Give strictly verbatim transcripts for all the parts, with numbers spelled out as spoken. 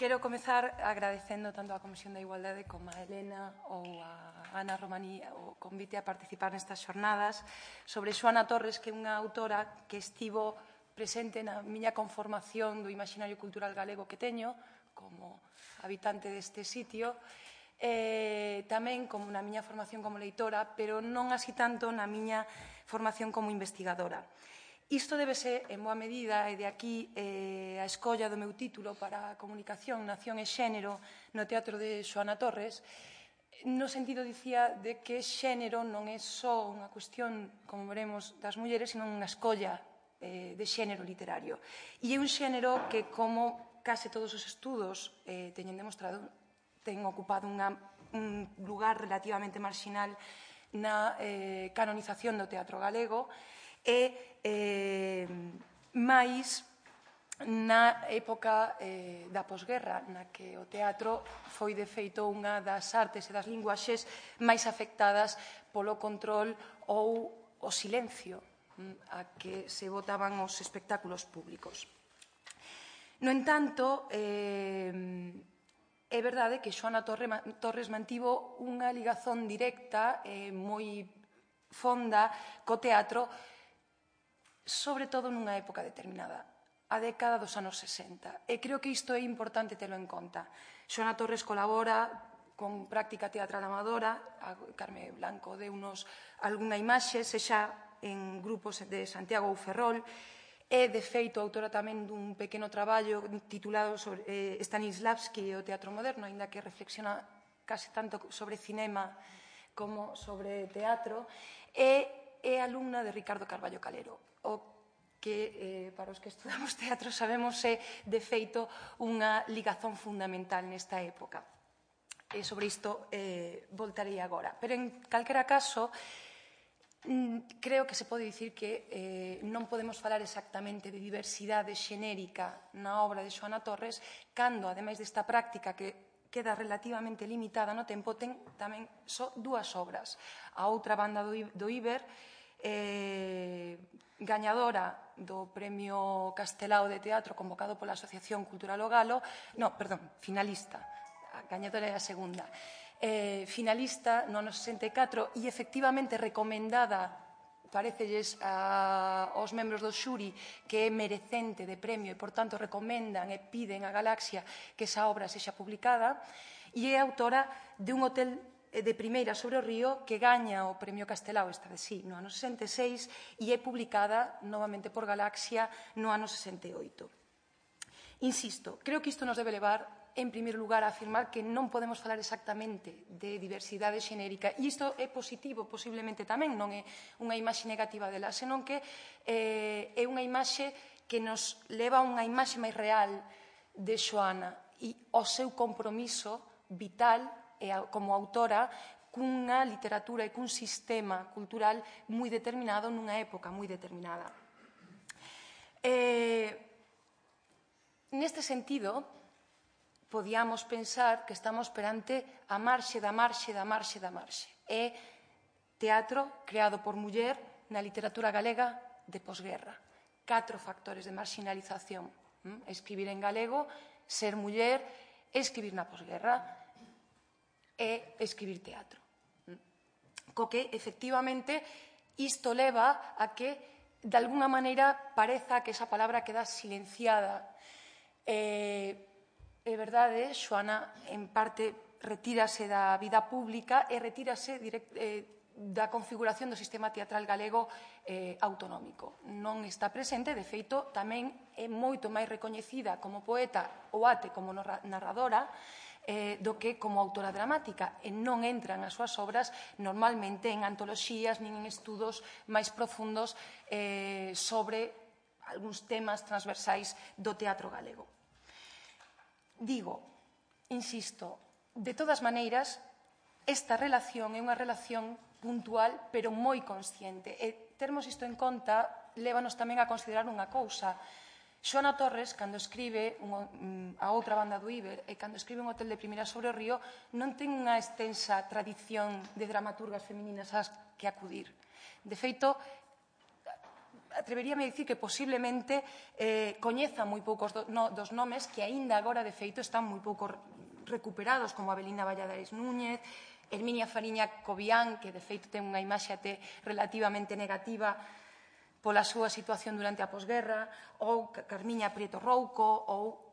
quero comezar agradecendo tanto á Comisión da Igualdade como a Helena ou a Ana Romaní o convite a participar nestas xornadas sobre Xoana Torres, que é unha autora que estivo presente na miña conformación do imaginario cultural galego que teño como habitante deste sitio, e tamén como na miña formación como leitora, pero non así tanto na miña formación como investigadora. Isto debe ser, en boa medida, e de aquí eh, a escolla do meu título para a comunicación, nación e xénero no teatro de Xoana Torres, no sentido, dicía, de que xénero non é só unha cuestión, como veremos, das mulleres, sino unha escolla eh, de xénero literario. E é un xénero que, como case todos os estudos eh, teñen demostrado, ten ocupado unha, un lugar relativamente marxinal na eh, canonización do teatro galego, e eh, máis na época eh, da posguerra, na que o teatro foi, de feito, unha das artes e das linguaxes máis afectadas polo control ou o silencio a que se botaban os espectáculos públicos. No entanto, eh, é verdade que Xoana Torres mantivo unha ligazón directa e moi fonda co teatro, sobre todo nunha época determinada, a década dos anos sesenta. E creo que isto é importante telo en conta. Xoana Torres colabora con práctica teatral amadora, a Carme Blanco deunos algunha imaxe, sexa en grupos de Santiago ou Ferrol, e, de feito, autora tamén dun pequeno traballo titulado sobre eh, Stanislavski e o teatro moderno, aínda que reflexiona case tanto sobre cinema como sobre teatro, e é alumna de Ricardo Carballo Calero, o que, eh, para os que estudamos teatro, sabemos é, de feito, unha ligazón fundamental nesta época. E sobre isto eh, voltarei agora. Pero, en calquera caso, creo que se pode dicir que eh, non podemos falar exactamente de diversidade xenérica na obra de Xoana Torres, cando, ademais desta práctica que queda relativamente limitada no tempo, ten tamén só dúas obras. A outra banda do Iber, eh, gañadora do Premio Castelao de Teatro convocado pola Asociación Cultural O Galo, no, perdón, finalista, a gañadora é a segunda, eh, finalista no ano sesenta e catro e efectivamente recomendada, parecelles aos membros do xuri que é merecente de premio e, por tanto, recomendan e piden a Galaxia que esa obra sexa publicada, e é autora de Un hotel de primeira sobre o río que gaña o Premio Castelao, esta de sí, no ano sesenta e seis, e é publicada novamente por Galaxia no ano sesenta e oito. Insisto, creo que isto nos debe levar, en primeiro lugar, a afirmar que non podemos falar exactamente de diversidade xenérica, e isto é positivo, posiblemente tamén, non é unha imaxe negativa dela, senón que eh, é unha imaxe que nos leva a unha imaxe máis real de Xoana e ao seu compromiso vital como autora cunha literatura e cun sistema cultural moi determinado nunha época moi determinada. Eh, neste sentido, podíamos pensar que estamos perante a marxe da marxe da marxe da marxe. É teatro creado por muller na literatura galega de posguerra. Catro factores de marginalización. Escribir en galego, ser muller, escribir na posguerra e escribir teatro. Co que, efectivamente, isto leva a que, de alguna maneira, pareza que esa palabra queda silenciada. É verdade, Xoana, en parte, retírase da vida pública e retírase da configuración do sistema teatral galego autonómico. Non está presente, de feito, tamén é moito máis recoñecida como poeta ou ate como narradora do que como autora dramática, e non entran as súas obras normalmente en antoloxías nin en estudos máis profundos sobre algúns temas transversais do teatro galego. Digo, insisto, de todas maneiras, esta relación é unha relación puntual pero moi consciente, e termos isto en conta lévanos tamén a considerar unha cousa. Xoana Torres, cando escribe a outra banda do Iber e cando escribe Un hotel de primeira sobre o río, non ten unha extensa tradición de dramaturgas femininas ás que acudir. De feito, atreveríame a dicir que posiblemente eh, coñeza moi poucos do, no, dos nomes que aínda agora, de feito, están moi pouco recuperados, como Avelina Valladares Núñez, Herminia Fariña Cobián, que de feito ten unha imaxe até relativamente negativa pola súa situación durante a posguerra, ou Carmiña Prieto Rouco, ou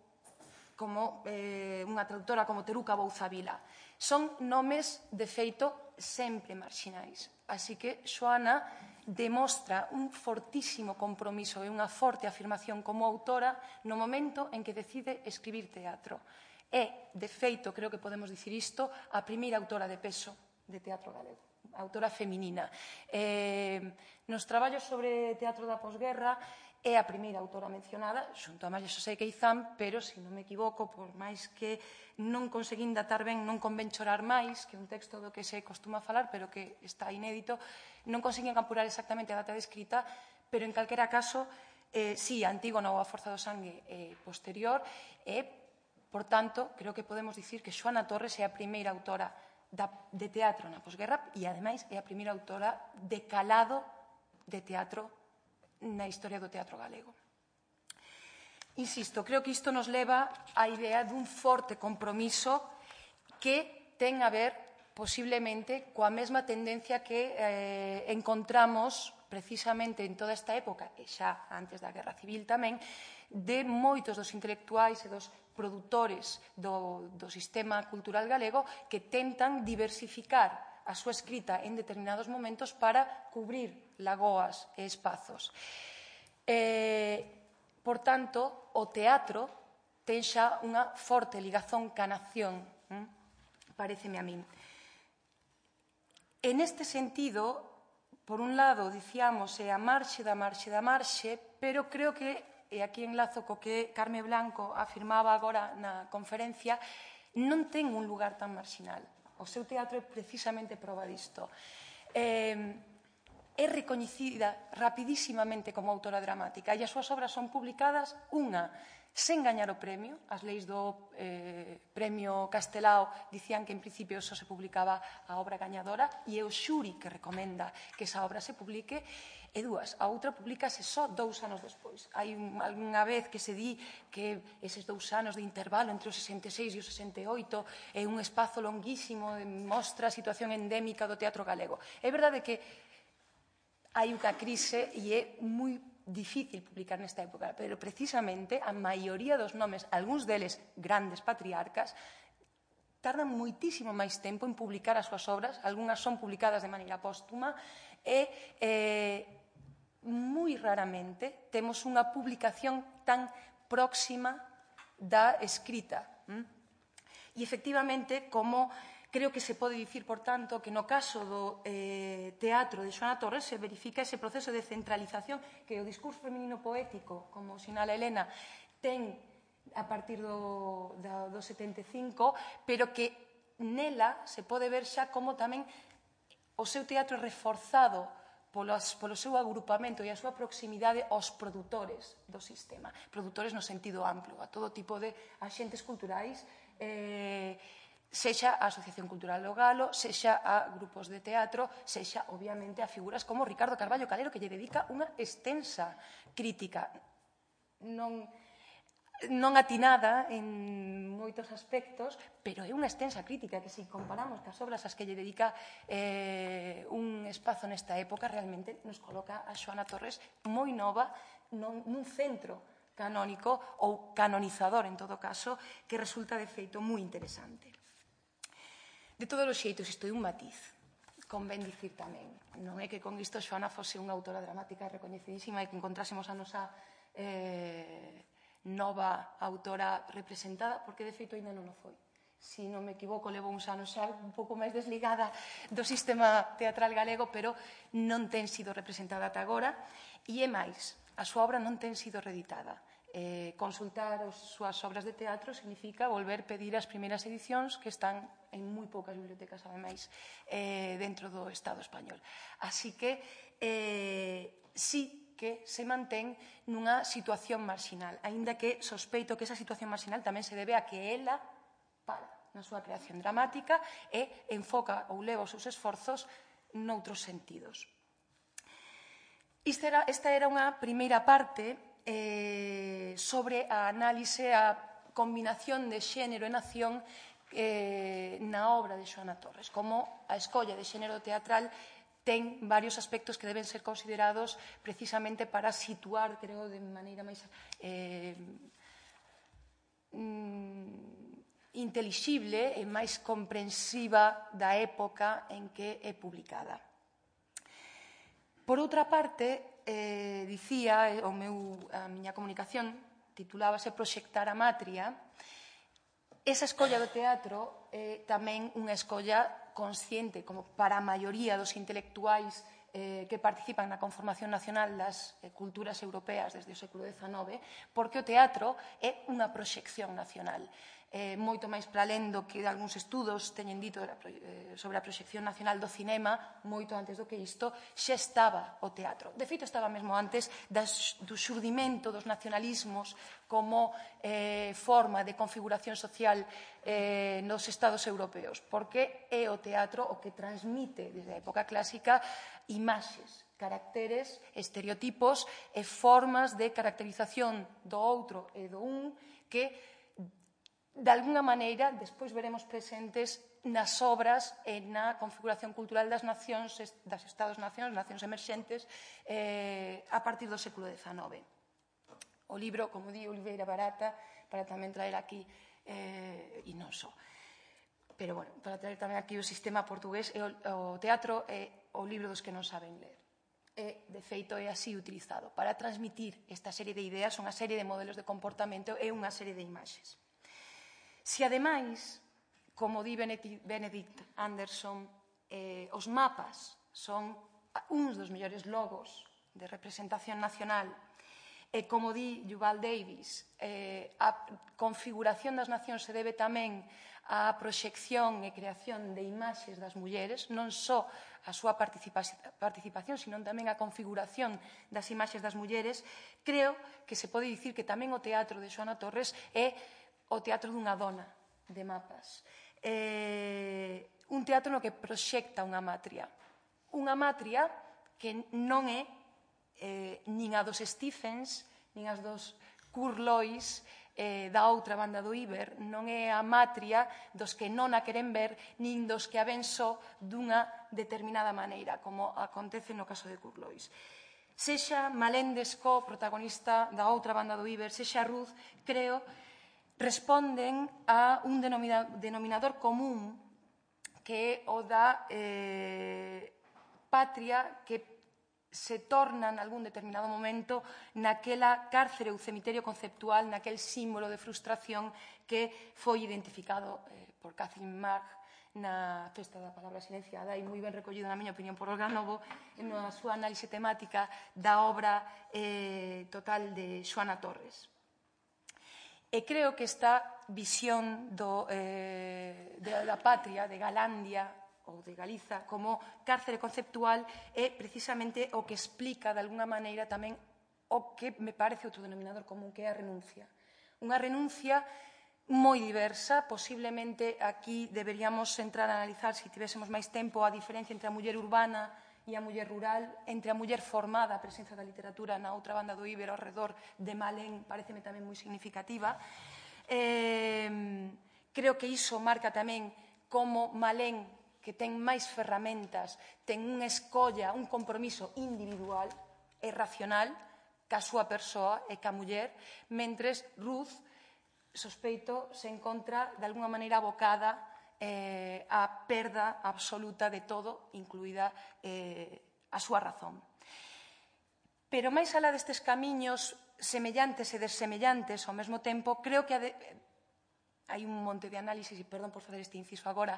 como eh, unha traductora como Teruca Bouzavila. Son nomes, de feito, sempre marxinais. Así que Xoana demostra un fortísimo compromiso e unha forte afirmación como autora no momento en que decide escribir teatro. É, de feito, creo que podemos dicir isto, a primeira autora de peso de teatro galego, autora feminina. Eh, nos traballos sobre teatro da posguerra é a primeira autora mencionada, xunto a María Xosé Queizán, pero, se non me equivoco, por máis que non conseguín datar ben, non convén chorar máis, que é un texto do que se costuma falar, pero que está inédito, non conseguín apurar exactamente a data de escrita, pero, en calquera caso, eh, sí, a Antígona ou a Forza do Sangue é posterior, e, por tanto, creo que podemos dicir que Xoana Torres é a primeira autora de teatro na posguerra e, ademais, é a primeira autora de calado de teatro na historia do teatro galego. Insisto, creo que isto nos leva á idea dun forte compromiso que ten a ver, posiblemente, coa mesma tendencia que eh, encontramos precisamente en toda esta época, e xa antes da Guerra Civil tamén, de moitos dos intelectuais e dos produtores do, do sistema cultural galego que tentan diversificar a súa escrita en determinados momentos para cubrir lagoas e espazos. Eh, por tanto, o teatro ten xa unha forte ligazón ca nación, hm? pareceme a min. En este sentido, por un lado, dicíamos, é a marxe da marxe da marxe, pero creo que, e aquí enlazo co que Carme Blanco afirmaba agora na conferencia, non ten un lugar tan marxinal. O seu teatro é precisamente proba disto. Eh, é recoñecida rapidísimamente como autora dramática e as súas obras son publicadas, unha, sen gañar o premio. As leis do eh, premio Castelao dicían que en principio só se publicaba a obra gañadora e é o xuri que recomenda que esa obra se publique. E dúas, a outra publicase só dous anos despois. Hai algunha vez que se di que eses dous anos de intervalo entre o sesenta e seis e o sesenta e oito é un espazo longuísimo, mostra a situación endémica do teatro galego. É verdade que hai unha crise e é moi difícil publicar nesta época, pero precisamente a maioría dos nomes, algúns deles grandes patriarcas, tardan moitísimo máis tempo en publicar as súas obras, algunhas son publicadas de maneira póstuma, e eh, moi raramente temos unha publicación tan próxima da escrita. ¿Mm? E, efectivamente, como creo que se pode dicir, por tanto, que no caso do eh, teatro de Xoana Torres se verifica ese proceso de centralización que o discurso feminino poético, como sinala Elena, ten a partir do, do, do setenta e cinco, pero que nela se pode ver xa como tamén o seu teatro é reforzado polos, polo seu agrupamento e a súa proximidade aos produtores do sistema. Produtores no sentido amplo, a todo tipo de axentes culturais, eh, sexa a Asociación Cultural do Galo, sexa a grupos de teatro, sexa, obviamente, a figuras como Ricardo Carballo Calero, que lle dedica unha extensa crítica, non, non atinada en moitos aspectos, pero é unha extensa crítica que, se comparamos cas obras ás que lle dedica eh, un espazo nesta época, realmente nos coloca a Xoana Torres moi nova nun, nun centro canónico ou canonizador, en todo caso, que resulta, de feito, moi interesante. De todos os xeitos, isto é un matiz, convén dicir tamén. Non é que con isto Xoana fose unha autora dramática recoñecidísima e que encontrásemos a nosa eh, nova autora representada, porque de feito ainda non o foi. Se non me equivoco, levo uns anos xa un pouco máis desligada do sistema teatral galego, pero non ten sido representada ata agora. E é máis, a súa obra non ten sido reeditada. Eh, consultar as súas obras de teatro significa volver pedir as primeiras edicións que están en moi poucas bibliotecas, ademais, eh, dentro do Estado español. Así que eh, sí que se mantén nunha situación marxinal, aínda que sospeito que esa situación marxinal tamén se debe a que ela para na súa creación dramática e enfoca ou leva os seus esforzos noutros sentidos. Esta era unha primeira parte sobre a análise, a combinación de xénero e nación na obra de Xoana Torres, como a escolla de xénero teatral ten varios aspectos que deben ser considerados precisamente para situar, creo, de maneira máis intelixible e máis comprensiva da época en que é publicada. Por outra parte, dicía, a miña comunicación titulábase Proxectar a Matria. Esa escolla do teatro é tamén unha escolla consciente, como para a maioría dos intelectuais que participan na conformación nacional das culturas europeas desde o século dezanove, porque o teatro é unha proxección nacional. Moito máis para alén do que algúns estudos teñen dito sobre a proxección nacional do cinema, moito antes do que isto, xa estaba o teatro. De feito, estaba mesmo antes do xurdimento dos nacionalismos como forma de configuración social nos estados europeos, porque é o teatro o que transmite, desde a época clásica, imaxes, caracteres, estereotipos e formas de caracterización do outro e do un que de alguna maneira, despois veremos presentes nas obras e na configuración cultural das nacións, das estados-nacións, nacións emerxentes, a partir do século dezanove. O libro, como di Oliveira Barata, para tamén traer aquí, e non só, pero, bueno, para traer tamén aquí o sistema portugués, o teatro é o libro dos que non saben ler. E, de feito, é así utilizado para transmitir esta serie de ideas, unha serie de modelos de comportamento e unha serie de imaxes. Se, ademais, como di Benedict Anderson, os mapas son uns dos mellores logos de representación nacional e, como di Yuval Davis, a configuración das nacións se debe tamén á proxección e creación de imaxes das mulleres, non só a súa participación, sino tamén a configuración das imaxes das mulleres, creo que se pode dicir que tamén o teatro de Xoana Torres é o teatro dunha dona de mapas. Un teatro no que proxecta unha matria. Unha matria que non é nin a dos Stephens, nin as dos Kurt Lois da outra banda do Iber, non é a matria dos que non a queren ver, nin dos que a ven só dunha determinada maneira, como acontece no caso de Kurt Lois. Sexa Malén Descó, protagonista da outra banda do Iber, sexa Ruth, creo, responden a un denominador común que é o da patria que se torna en algún determinado momento naquela cárcere ou cemiterio conceptual, naquel símbolo de frustración que foi identificado por Catherine Mark na Festa da Palabra Silenciada e moi ben recollido, na miña opinión, por Olga Novo na súa análise temática da obra total de Xoana Torres. E creo que esta visión da patria, de Galandia ou de Galiza, como cárcere conceptual, é precisamente o que explica, de alguna maneira, tamén o que me parece outro denominador común, que é a renuncia. Unha renuncia moi diversa, posiblemente aquí deberíamos entrar a analizar, se tivésemos máis tempo, a diferencia entre a muller urbana e a muller rural, entre a muller formada, a presenza da literatura na outra banda do Iber, ao redor de Malén, pareceme tamén moi significativa. Creo que iso marca tamén como Malén, que ten máis ferramentas, ten unha escolla, un compromiso individual e racional ca súa persoa e ca muller, mentres Ruth, sospeito, se encontra de alguna maneira abocada a perda absoluta de todo, incluída a súa razón. Pero máis alá destes camiños semellantes e desemellantes ao mesmo tempo, creo que hai un monte de análisis, e perdón por facer este inciso agora,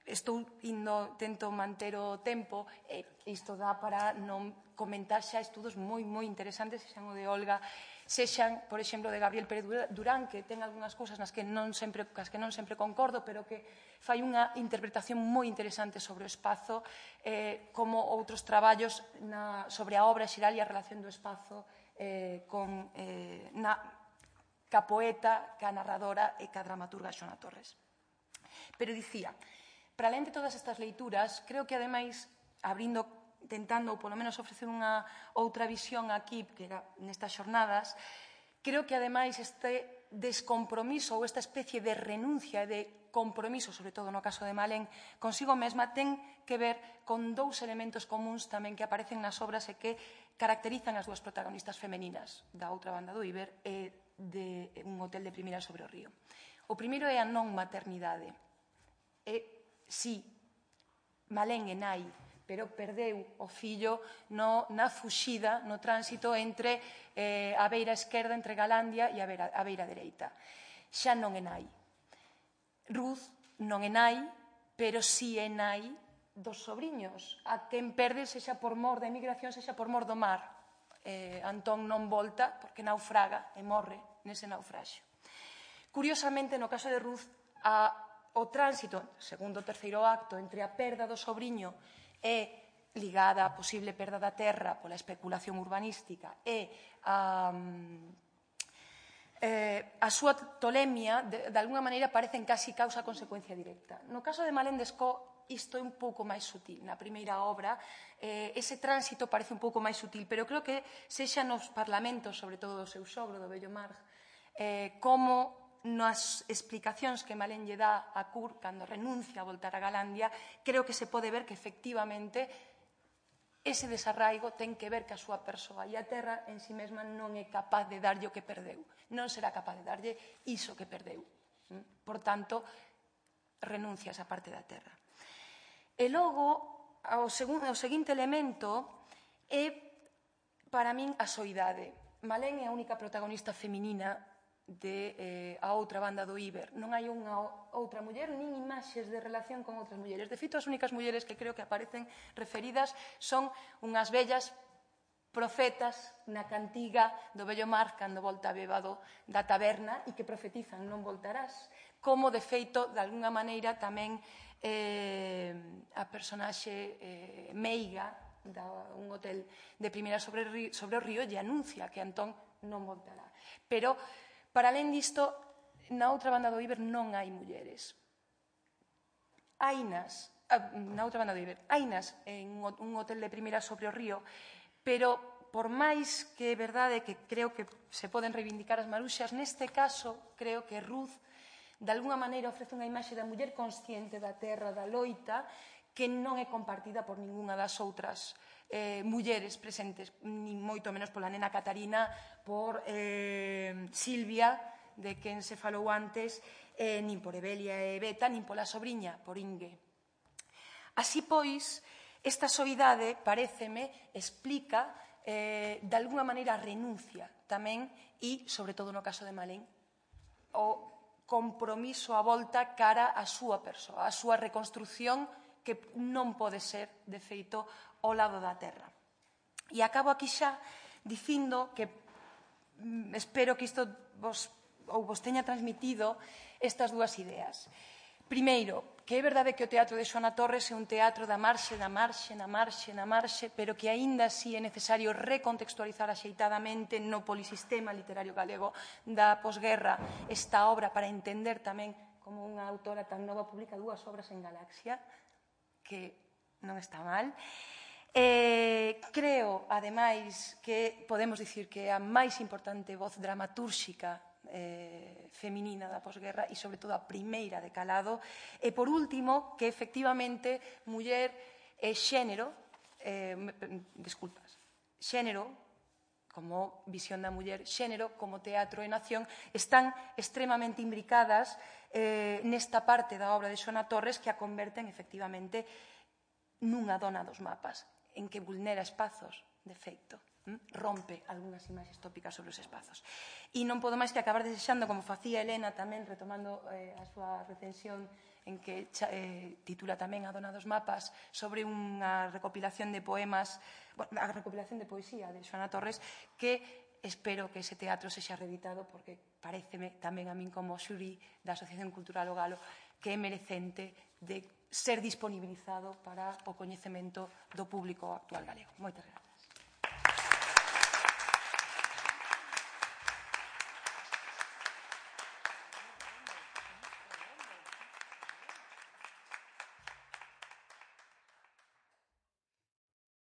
estou indo, tento manter o tempo, e isto dá para non comentar xa estudos moi, moi interesantes, sexan o de Olga, sexan, por exemplo, de Gabriel Pérez Durán, que ten algunhas cousas nas que non sempre, cas que non sempre concordo, pero que fai unha interpretación moi interesante sobre o espazo, como outros traballos sobre a obra xeral e a relación do espazo ca poeta, ca narradora e ca dramaturga Xoana Torres. Pero dicía, para além de todas estas leituras, creo que, ademais, abrindo tentando, ou polo menos ofrecer unha outra visión aquí, que era nestas xornadas, creo que, ademais, este descompromiso ou esta especie de renuncia e de compromiso, sobre todo no caso de Malén, consigo mesma, ten que ver con dous elementos comuns tamén que aparecen nas obras e que caracterizan as dúas protagonistas femeninas da outra banda do Iber e de Un hotel de primeira sobre o río. O primeiro é a non maternidade. E, si, Malén é nai, pero perdeu o fillo no, na fuxida, no tránsito entre eh, a beira esquerda, entre Galandia, e a beira, a beira dereita. Xa non é nai. Ruth non é nai, pero si é nai dos sobriños, a quen perde sexa por mor da emigración, sexa por mor do mar. Eh, Antón non volta porque naufraga e morre nese naufraxio. Curiosamente, no caso de Ruth, a, o tránsito, segundo o terceiro acto, entre a perda do sobriño e ligada á posible perda da terra pola especulación urbanística e a, eh, a súa tolemia, de, de alguna maneira, parecen casi causa-consecuencia directa. No caso de Malén Descó, isto é un pouco máis sutil. Na primeira obra, eh, ese tránsito parece un pouco máis sutil, pero creo que sexa nos parlamentos, sobre todo do seu sogro, do vello Marg, eh, como nas explicacións que Malén lle dá a Cur cando renuncia a voltar a Galandia, creo que se pode ver que efectivamente ese desarraigo ten que ver que a súa persoa e a terra en si mesma non é capaz de darlle o que perdeu. Non será capaz de darlle iso que perdeu. Por tanto, renuncia a esa parte da terra. E logo, o, segundo, o seguinte elemento é, para min, a soidade. Malén é a única protagonista feminina de eh, a outra banda do Iber. Non hai unha outra muller, nin imaxes de relación con outras mulleres. De feito, as únicas mulleres que creo que aparecen referidas son unhas vellas profetas na cantiga do vello Mar cando volta bébado da taberna e que profetizan non voltarás. Como, de feito, de alguna maneira tamén eh, a personaxe eh, meiga da un hotel de primeira sobre, sobre o río lle anuncia que Antón non voltará. Pero, para alén disto, na outra banda do Iber non hai mulleres. Hainas, na outra banda do Iber, hainas en un hotel de primeira sobre o río, pero por máis que é verdade que creo que se poden reivindicar as maruxas, neste caso creo que Ruth de alguna maneira ofrece unha imaxe da muller consciente da terra, da loita, que non é compartida por ningunha das outras eh, mulleres presentes, ni moito menos pola nena Catarina, por eh, Silvia, de quen se falou antes, eh, nin por Evelia e Beta, nin pola sobriña, por Inge. Así pois, esta soidade, paréceme, explica eh, de alguna maneira a renuncia tamén e, sobre todo no caso de Malén, o compromiso a volta cara á súa persoa, á súa reconstrucción que non pode ser, de feito, ao lado da terra. E acabo aquí xa dicindo que mm, espero que isto vos, ou vos teña transmitido estas dúas ideas. Primeiro, que é verdade que o teatro de Xoana Torres é un teatro da marxe, da marxe, na marxe, na marxe, pero que aínda así é necesario recontextualizar axeitadamente no polisistema literario galego da posguerra esta obra para entender tamén como unha autora tan nova publica dúas obras en Galaxia, que non está mal. Eh, creo, ademais, que podemos dicir que é a máis importante voz dramatúrxica eh, feminina da posguerra e, sobre todo, a primeira de calado. E, por último, que, efectivamente, muller e xénero, eh, desculpas, xénero, como visión da muller, xénero, como teatro e nación, están extremamente imbricadas eh, nesta parte da obra de Xoana Torres que a converten, efectivamente, nunha dona dos mapas, en que vulnera espazos, de feito, rompe algunhas imaxes tópicas sobre os espazos. E non podo máis que acabar desexando, como facía Helena tamén, retomando eh, a súa recensión en que eh, titula tamén A dona dos mapas, sobre unha recopilación de poemas, bueno, a recopilación de poesía de Xoana Torres, que espero que ese teatro sexa reeditado, porque paréceme tamén a min como xuri da Asociación Cultural O Galo que é merecente de ser disponibilizado para o coñecemento do público actual galego. Moitas grazas.